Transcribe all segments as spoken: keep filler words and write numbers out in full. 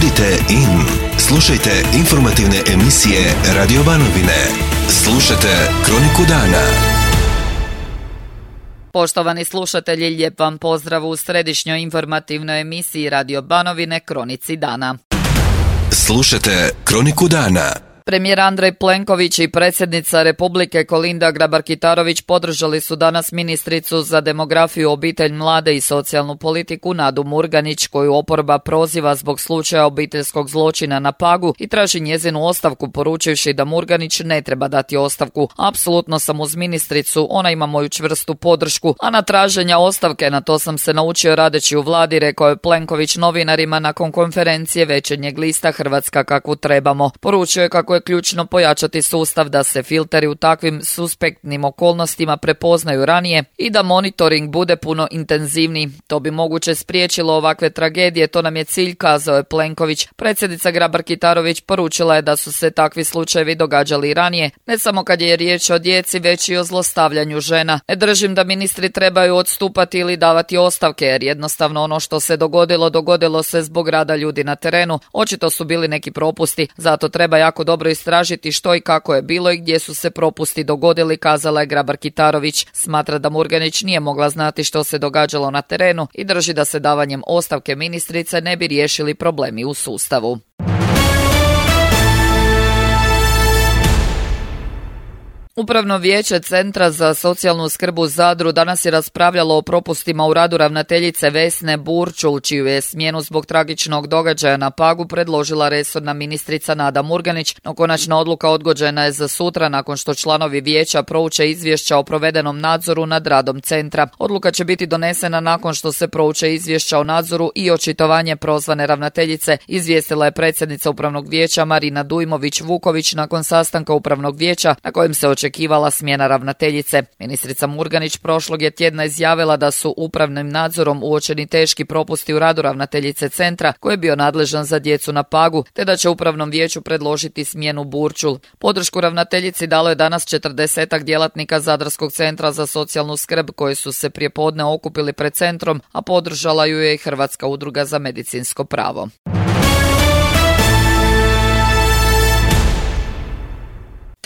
Budite in. Slušajte informativne emisije Radio Banovine. Slušajte Kroniku dana. Poštovani slušatelji, lijep vam pozdrav u središnjoj informativnoj emisiji Radio Banovine Kronici dana. Slušajte Kroniku dana. Premijer Andrej Plenković i predsjednica Republike Kolinda Grabar-Kitarović podržali su danas ministricu za demografiju, obitelj, mlade i socijalnu politiku Nadu Murganić, koju oporba proziva zbog slučaja obiteljskog zločina na Pagu i traži njezinu ostavku, poručivši da Murganić ne treba dati ostavku. Apsolutno sam uz ministricu, ona ima moju čvrstu podršku, a na traženja ostavke, na to sam se naučio radeći u vladi, rekao je Plenković novinarima nakon konferencije večernjeg lista Hrvatska kakvu trebamo. Poručio je kako je ključno pojačati sustav da se filteri u takvim suspektnim okolnostima prepoznaju ranije i da monitoring bude puno intenzivniji. To bi moguće spriječilo ovakve tragedije, to nam je cilj, kazao je Plenković. Predsjednica Grabar-Kitarović poručila je da su se takvi slučajevi događali i ranije, ne samo kad je riječ o djeci, već i o zlostavljanju žena. Ne držim da ministri trebaju odstupati ili davati ostavke, jer jednostavno ono što se dogodilo, dogodilo se zbog rada ljudi na terenu. Očito su bili neki propusti, zato treba jako dobro istražiti što i kako je bilo i gdje su se propusti dogodili, kazala je Grabar-Kitarović. Smatra da Murganić nije mogla znati što se događalo na terenu i drži da se davanjem ostavke ministrice ne bi riješili problemi u sustavu. Upravno vijeće Centra za socijalnu skrb u Zadru danas je raspravljalo o propustima u radu ravnateljice Vesne Burčul, čiju je smjenu zbog tragičnog događaja na Pagu predložila resorna ministrica Nada Murganić, no konačna odluka odgođena je za sutra nakon što članovi vijeća prouče izvješća o provedenom nadzoru nad radom centra. Odluka će biti donesena nakon što se prouče izvješća o nadzoru i očitovanje prozvane ravnateljice, izvijestila je predsjednica Upravnog vijeća Marina Dujmović-Vuković nakon sastanka Upravnog vijeća na kojem se očekivalo očekivala smjena ravnateljice. Ministrica Murganić prošlog je tjedna izjavila da su upravnim nadzorom uočeni teški propusti u radu ravnateljice centra, koji je bio nadležan za djecu na Pagu, te da će Upravnom vijeću predložiti smjenu Burčul. Podršku ravnateljici dalo je danas četrdesetak djelatnika Zadarskog centra za socijalnu skrb koji su se prijepodne okupili pred centrom, a podržala ju je i Hrvatska udruga za medicinsko pravo.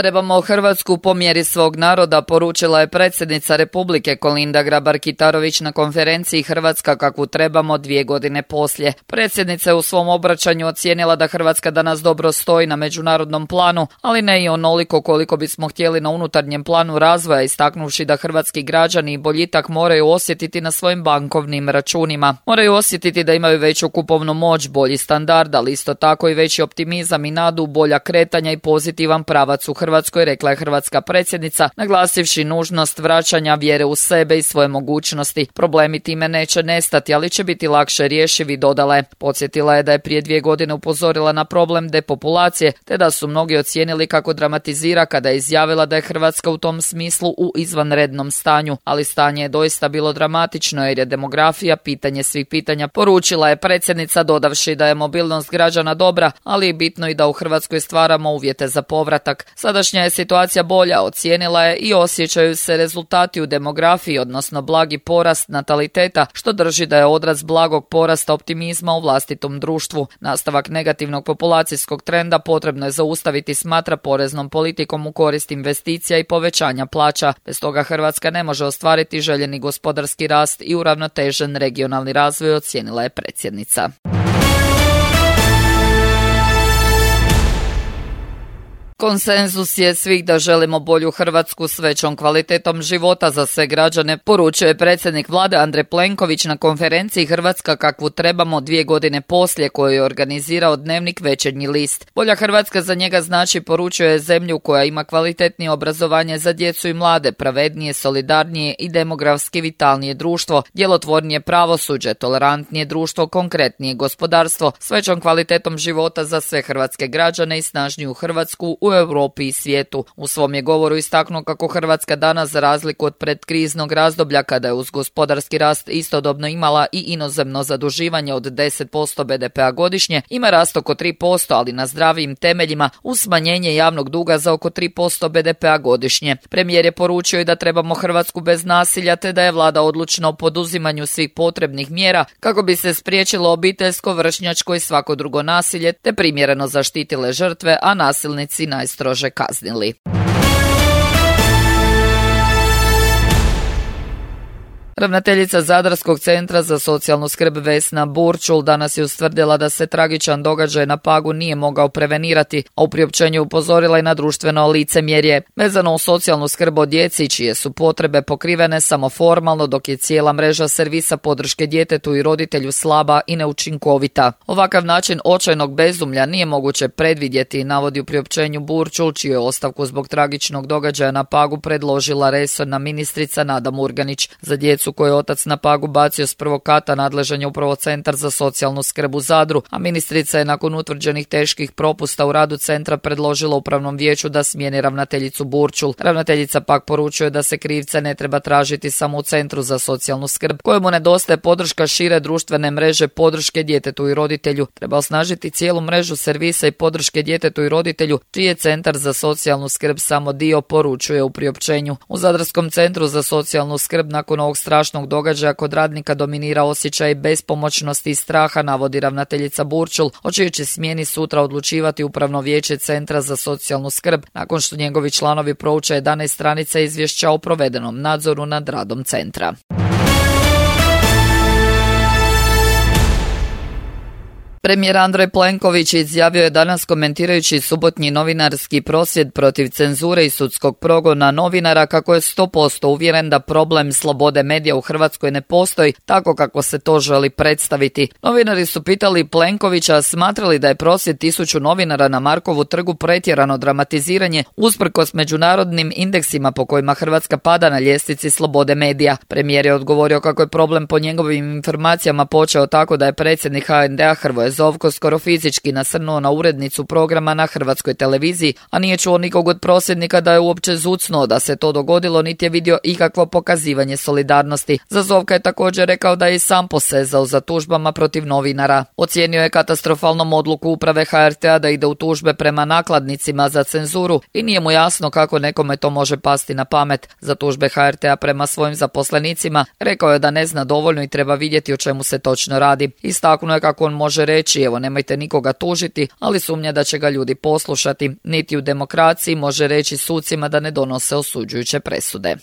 Trebamo Hrvatsku po mjeri svog naroda, poručila je predsjednica Republike Kolinda Grabar-Kitarović na konferenciji Hrvatska kakvu trebamo dvije godine poslije. Predsjednica je u svom obraćanju ocijenila da Hrvatska danas dobro stoji na međunarodnom planu, ali ne i onoliko koliko bismo htjeli na unutarnjem planu razvoja, istaknuvši da hrvatski građani boljitak moraju osjetiti na svojim bankovnim računima. Moraju osjetiti da imaju veću kupovnu moć, bolji standard, ali isto tako i veći optimizam i nadu, bolja kretanja i pozitivan pravac u Hrvatskoj. Hrvatskoj, rekla je hrvatska predsjednica, naglasivši nužnost vraćanja vjere u sebe i svoje mogućnosti. Problemi time neće nestati, ali će biti lakše rješivi, dodala je. Podsjetila je da je prije dvije godine upozorila na problem depopulacije, te da su mnogi ocijenili kako dramatizira kada je izjavila da je Hrvatska u tom smislu u izvanrednom stanju, ali stanje je doista bilo dramatično jer je demografija pitanje svih pitanja, poručila je predsjednica, dodavši da je mobilnost građana dobra, ali je bitno i da u Hrvatskoj stvaramo uvjete za povratak. Sada Sadašnja je situacija bolja, ocijenila je, i osjećaju se rezultati u demografiji, odnosno blagi porast nataliteta, što drži da je odraz blagog porasta optimizma u vlastitom društvu. Nastavak negativnog populacijskog trenda potrebno je zaustaviti, smatra, poreznom politikom u korist investicija i povećanja plaća. Bez toga Hrvatska ne može ostvariti željeni gospodarski rast i uravnotežen regionalni razvoj, ocijenila je predsjednica. Konsenzus je svih da želimo bolju Hrvatsku s većom kvalitetom života za sve građane, poručuje predsjednik vlade Andrej Plenković na konferenciji Hrvatska kakvu trebamo dvije godine poslije, koju je organizirao dnevnik Večernji list. Bolja Hrvatska za njega znači, poručuje, zemlju koja ima kvalitetnije obrazovanje za djecu i mlade, pravednije, solidarnije i demografski vitalnije društvo, djelotvornije pravosuđe, tolerantnije društvo, konkretnije gospodarstvo, s većom kvalitetom života za sve hrvatske građane i snažniju Hrvatsku u u Europi i svijetu. U svom je govoru istaknuo kako Hrvatska danas, za razliku od predkriznog razdoblja kada je uz gospodarski rast istodobno imala i inozemno zaduživanje od deset posto be de pea godišnje, ima rast oko tri posto, ali na zdravijim temeljima, uz smanjenje javnog duga za oko tri posto be de pea godišnje. Premijer je poručio i da trebamo Hrvatsku bez nasilja, te da je vlada odlučna o poduzimanju svih potrebnih mjera kako bi se spriječilo obiteljsko, vršnjačko i svako drugo nasilje, te primjereno zaštitile žrtve, a nasilnici najstrože kaznili. Ravnateljica Zadarskog centra za socijalnu skrb Vesna Burčul danas je ustvrdila da se tragičan događaj na Pagu nije mogao prevenirati, a u priopćenju upozorila i na društveno licemjerje vezano u socijalnu skrb o djeci čije su potrebe pokrivene samo formalno, dok je cijela mreža servisa podrške djetetu i roditelju slaba i neučinkovita. Ovakav način očajnog bezumlja nije moguće predvidjeti, navodi u priopćenju Burčul, čiju je ostavku zbog tragičnog događaja na Pagu predložila resorna ministrica Nada Murganić. Za djecu koje je otac na Pagu bacio s prvog kata nadležan je upravo Centar za socijalnu skrb u Zadru, a ministrica je nakon utvrđenih teških propusta u radu centra predložila upravnom vijeću da smijeni ravnateljicu Burčul. Ravnateljica pak poručuje da se krivce ne treba tražiti samo u Centru za socijalnu skrb, kojemu nedostaje podrška šire društvene mreže podrške djetetu i roditelju. Treba osnažiti cijelu mrežu servisa i podrške djetetu i roditelju, čiji je Centar za socijalnu skrb samo dio, poručuje u priopćenju. U Zadarskom centru za socijalnu skrb nakon ovog strašnog događaja kod radnika dominira osjećaj bespomoćnosti i straha, navodi ravnateljica Burčul, o čijoj će smjeni sutra odlučivati upravno vijeće Centra za socijalnu skrb, nakon što njegovi članovi prouče jedanaest stranica izvješća o provedenom nadzoru nad radom centra. Premijer Andrej Plenković izjavio je danas komentirajući subotnji novinarski prosvjed protiv cenzure i sudskog progona novinara kako je sto posto uvjeren da problem slobode medija u Hrvatskoj ne postoji tako kako se to želi predstaviti. Novinari su pitali Plenkovića smatrali da je prosvjed tisuću novinara na Markovu trgu pretjerano dramatiziranje usprkos međunarodnim indeksima po kojima Hrvatska pada na ljestvici slobode medija. Premijer je odgovorio kako je problem po njegovim informacijama počeo tako da je predsjednik ha en de a Hrvoje Zovko skoro fizički nasrnuo na urednicu programa na Hrvatskoj televiziji, a nije čuo nikog od prosvjednika da je uopće zucnuo da se to dogodilo, niti je vidio ikakvo pokazivanje solidarnosti. Za Zovka je također rekao da je i sam posezao za tužbama protiv novinara. Ocijenio je katastrofalnom odluku uprave ha er te a da ide u tužbe prema nakladnicima za cenzuru i nije mu jasno kako nekome to može pasti na pamet. Za tužbe ha er te a prema svojim zaposlenicima rekao je da ne zna dovoljno i treba vidjeti o čemu se točno radi. Istaknuo je kako on može reći evo nemojte nikoga tužiti, ali sumnja da će ga ljudi poslušati. Niti u demokraciji može reći sucima da ne donose osuđujuće presude.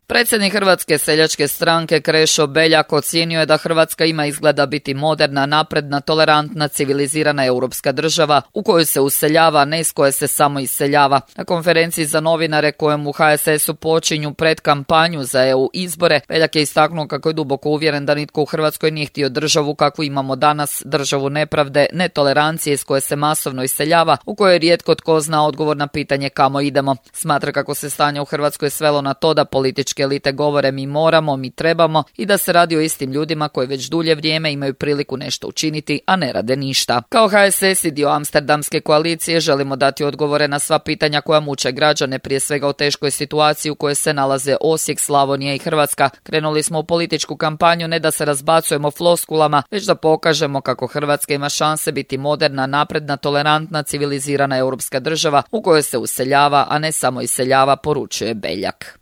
Predsjednik Hrvatske seljačke stranke Krešo Beljak ocijenio je da Hrvatska ima izgleda biti moderna, napredna, tolerantna, civilizirana europska država u kojoj se useljava, a ne iz koje se samo iseljava. Na konferenciji za novinare kojem u ha es esu počinju pred kampanju za e u izbore, Beljak je istaknuo kako je duboko uvjeren da nitko u Hrvatskoj nije htio državu kakvu imamo danas, državu nepravde, netolerancije iz koje se masovno iseljava, u kojoj rijetko tko zna odgovor na pitanje kamo idemo. Smatra kako se stanje u Hrvatskoj svelo na to da politički elite govore mi moramo, mi trebamo i da se radi o istim ljudima koji već dulje vrijeme imaju priliku nešto učiniti, a ne rade ništa. Kao ha es es i dio Amsterdamske koalicije želimo dati odgovore na sva pitanja koja muče građane, prije svega o teškoj situaciji u kojoj se nalaze Osijek, Slavonija i Hrvatska. Krenuli smo u političku kampanju ne da se razbacujemo floskulama, već da pokažemo kako Hrvatska ima šanse biti moderna, napredna, tolerantna, civilizirana europska država u kojoj se useljava, a ne samo iseljava, poručuje Beljak.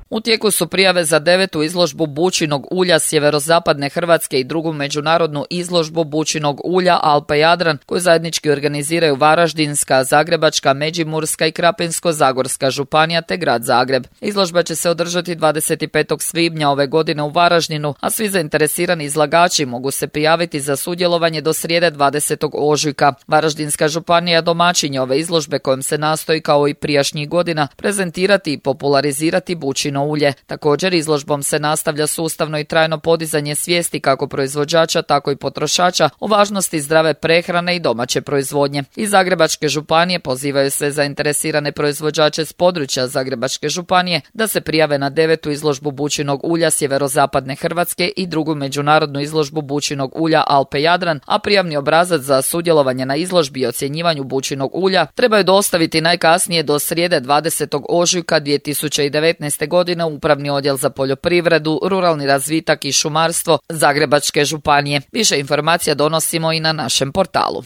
U tijeku su prijave za devetu izložbu bućinog ulja sjeverozapadne Hrvatske i drugu međunarodnu izložbu bućinog ulja Alpe Jadran koju zajednički organiziraju Varaždinska, Zagrebačka, Međimurska i Krapinsko-zagorska županija te grad Zagreb. Izložba će se održati dvadeset petog svibnja ove godine u Varaždinu, a svi zainteresirani izlagači mogu se prijaviti za sudjelovanje do srijede dvadesetog ožujka. Varaždinska županija domaćin je ove izložbe kojom se nastoji kao i prijašnjih godina prezentirati i popularizirati bućino ulje. Također izložbom se nastavlja sustavno i trajno podizanje svijesti kako proizvođača, tako i potrošača o važnosti zdrave prehrane i domaće proizvodnje. Iz Zagrebačke županije pozivaju sve zainteresirane proizvođače s područja Zagrebačke županije da se prijave na devetu izložbu bućinog ulja sjeverozapadne Hrvatske i drugu međunarodnu izložbu bućinog ulja Alpe Jadran, a prijavni obrazac za sudjelovanje na izložbi i ocjenjivanju bućinog ulja trebaju dostaviti najkasnije do srijede dvadesetog ožujka dvije tisuće devetnaeste godine u Upravni odjel za poljoprivredu, ruralni razvitak i šumarstvo Zagrebačke županije. Više informacija donosimo i na našem portalu.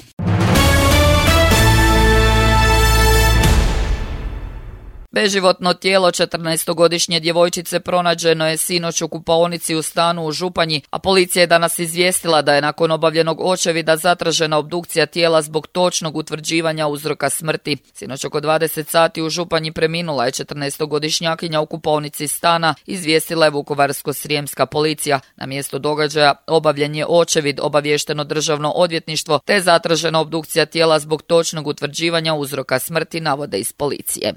Beživotno tijelo četrnaestogodišnje djevojčice pronađeno je sinoć u kupaonici u stanu u Županji, a policija je danas izvijestila da je nakon obavljenog očevida zatražena obdukcija tijela zbog točnog utvrđivanja uzroka smrti. Sinoć oko dvadeset sati u Županji preminula je četrnaestogodišnjakinja u kupaonici stana, izvijestila je Vukovarsko-srijemska policija. Na mjesto događaja obavljen je očevid, obaviješteno državno odvjetništvo, te zatražena obdukcija tijela zbog točnog utvrđivanja uzroka smrti, navode iz policije.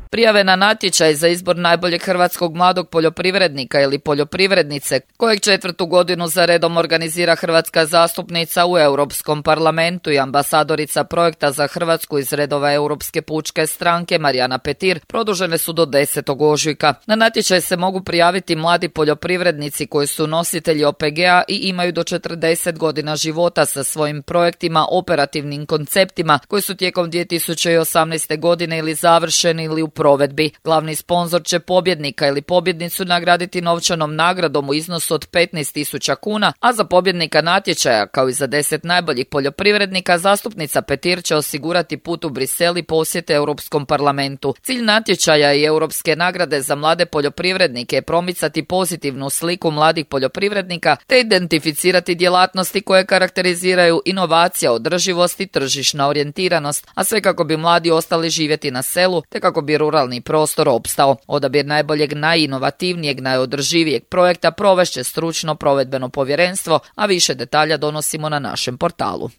Prijave na natječaj za izbor najboljeg hrvatskog mladog poljoprivrednika ili poljoprivrednice, kojeg četvrtu godinu za redom organizira hrvatska zastupnica u Europskom parlamentu i ambasadorica projekta za Hrvatsku iz redova Europske pučke stranke Marijana Petir, produžene su do desetog ožujka. Na natječaj se mogu prijaviti mladi poljoprivrednici koji su nositelji O P G-a i imaju do četrdeset godina života sa svojim projektima, operativnim konceptima koji su tijekom dvije tisuće osamnaeste godine ili završeni ili u provedbi. Glavni sponzor će pobjednika ili pobjednicu nagraditi novčanom nagradom u iznosu od petnaest tisuća kuna, a za pobjednika natječaja, kao i za deset najboljih poljoprivrednika, zastupnica Petir će osigurati put u Brisel i posjete Europskom parlamentu. Cilj natječaja i europske nagrade za mlade poljoprivrednike je promicati pozitivnu sliku mladih poljoprivrednika te identificirati djelatnosti koje karakteriziraju inovacija, održivost i tržišna orijentiranost, a sve kako bi mladi ostali živjeti na selu te kako bi ruralni prostor opstao. Odabir najboljeg, najinovativnijeg, najodrživijeg projekta provešće stručno provedbeno povjerenstvo, a više detalja donosimo na našem portalu.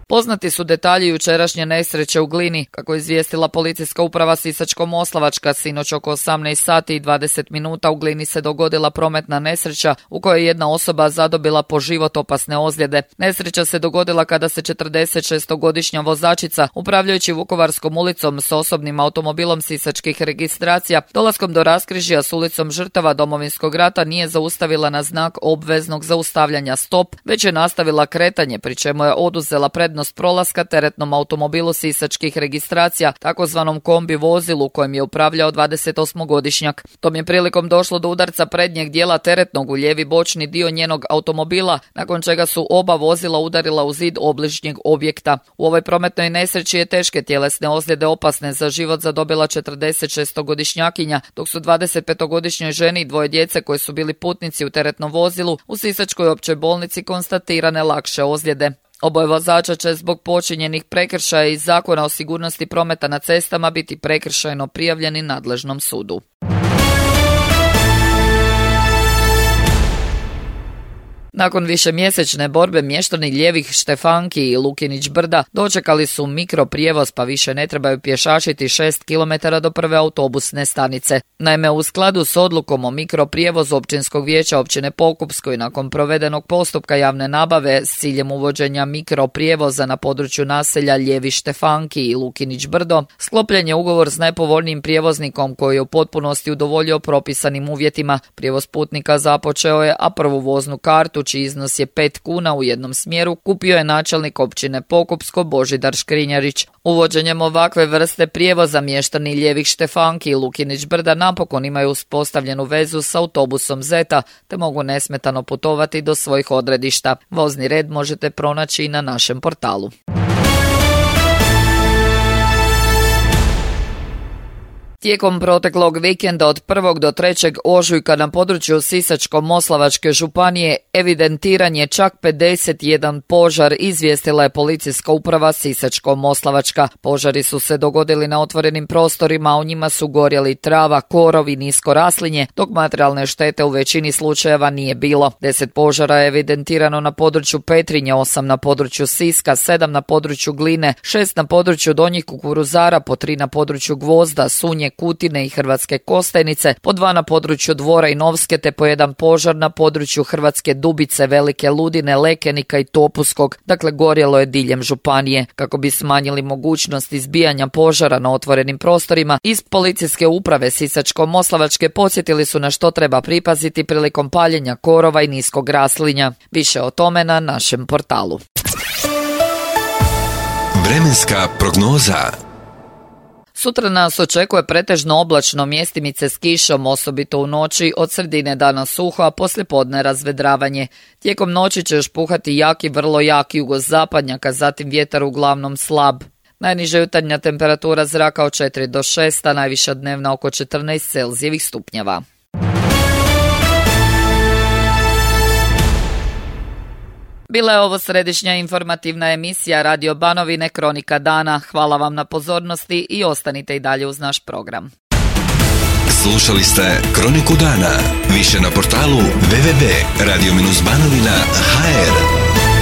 Poznati su detalji jučerašnje nesreće u Glini. Kako je izvijestila policijska uprava Sisačko-moslavačka, sinoć oko osamnaest sati i dvadeset minuta u Glini se dogodila prometna nesreća u kojoj je jedna osoba zadobila po život opasne ozljede. Nesreća se dogodila kada se četrdesetšestogodišnja vozačica, upravljajući Vukovarskom ulicom s osobnim automobilom sisačkih registracija, dolaskom do raskrižja s ulicom žrtava Domovinskog rata nije zaustavila na znak obveznog zaustavljanja stop, već je nastavila kretanje, pri čemu je oduzela prednost prolaska teretnom automobilu sisačkih registracija, takozvanom kombi vozilu kojem je upravljao dvadesetosmogodišnjak. Tom je prilikom došlo do udarca prednjeg dijela teretnog u lijevi bočni dio njenog automobila, nakon čega su oba vozila udarila u zid obližnjeg objekta. U ovoj prometnoj nesreći je teške tjelesne ozljede opasne za život zadobila četrdesetšestogodišnjakinja, dok su dvadesetpetogodišnjoj ženi i dvoje djece koji su bili putnici u teretnom vozilu u Sisačkoj općoj bolnici konstatirane lakše ozljede. Oboje vozača će zbog počinjenih prekršaja iz Zakona o sigurnosti prometa na cestama biti prekršajno prijavljeni nadležnom sudu. Nakon višemjesečne borbe mještani Ljevih Štefanki i Lukinić Brda dočekali su mikroprijevoz pa više ne trebaju pješačiti šest kilometara do prve autobusne stanice. Naime, u skladu s odlukom o mikroprijevozu Općinskog vijeća općine Pokupsko i nakon provedenog postupka javne nabave s ciljem uvođenja mikroprijevoza na području naselja Ljevi Štefanki i Lukinić Brdo, sklopljen je ugovor s najpovoljnijim prijevoznikom koji je u potpunosti udovoljio propisanim uvjetima. Prijevoz putnika započeo je, a prvu voznu kartu, čiji iznos je pet kuna u jednom smjeru, kupio je načelnik općine Pokupsko Božidar Škrinjarić. Uvođenjem ovakve vrste prijevoza mještani Ljevih Štefanki i Lukinić Brda napokon imaju uspostavljenu vezu s autobusom Zeta, te mogu nesmetano putovati do svojih odredišta. Vozni red možete pronaći i na našem portalu. Tijekom proteklog vikenda od prvog do trećeg ožujka na području Sisačko-moslavačke županije evidentiran je čak pedeset jedan požar, izvijestila je policijska uprava Sisačko-moslavačka. Požari su se dogodili na otvorenim prostorima, a u njima su gorjeli trava, korov i nisko raslinje, dok materijalne štete u većini slučajeva nije bilo. Deset požara je evidentirano na području Petrinje, osam na području Siska, sedam na području Gline, šest na području Donjih Kukuruzara, po tri na području Gvozda, Sunje, Kutine i Hrvatske Kostajnice, po dva na području Dvora i Novske, te po jedan požar na području Hrvatske Dubice, Velike Ludine, Lekenika i Topuskog. Dakle, gorjelo je diljem županije. Kako bi smanjili mogućnost izbijanja požara na otvorenim prostorima, iz policijske uprave Sisačko-moslavačke podsjetili su na što treba pripaziti prilikom paljenja korova i niskog raslinja. Više o tome na našem portalu. Vremenska prognoza. Sutra nas očekuje pretežno oblačno, mjestimice s kišom, osobito u noći, od sredine dana suho, a poslijepodne razvedravanje. Tijekom noći će još puhati jaki, vrlo jaki jugozapadnjak, a zatim vjetar uglavnom slab. Najniža jutarnja temperatura zraka od četiri do šest, a najviša dnevna oko četrnaest Celzijevih stupnjeva. Bila je ovo središnja informativna emisija Radio Banovine Kronika dana. Hvala vam na pozornosti i ostanite i dalje uz naš program. Slušali ste Kroniku dana. Više na portalu w w w tačka radio banovina tačka h r.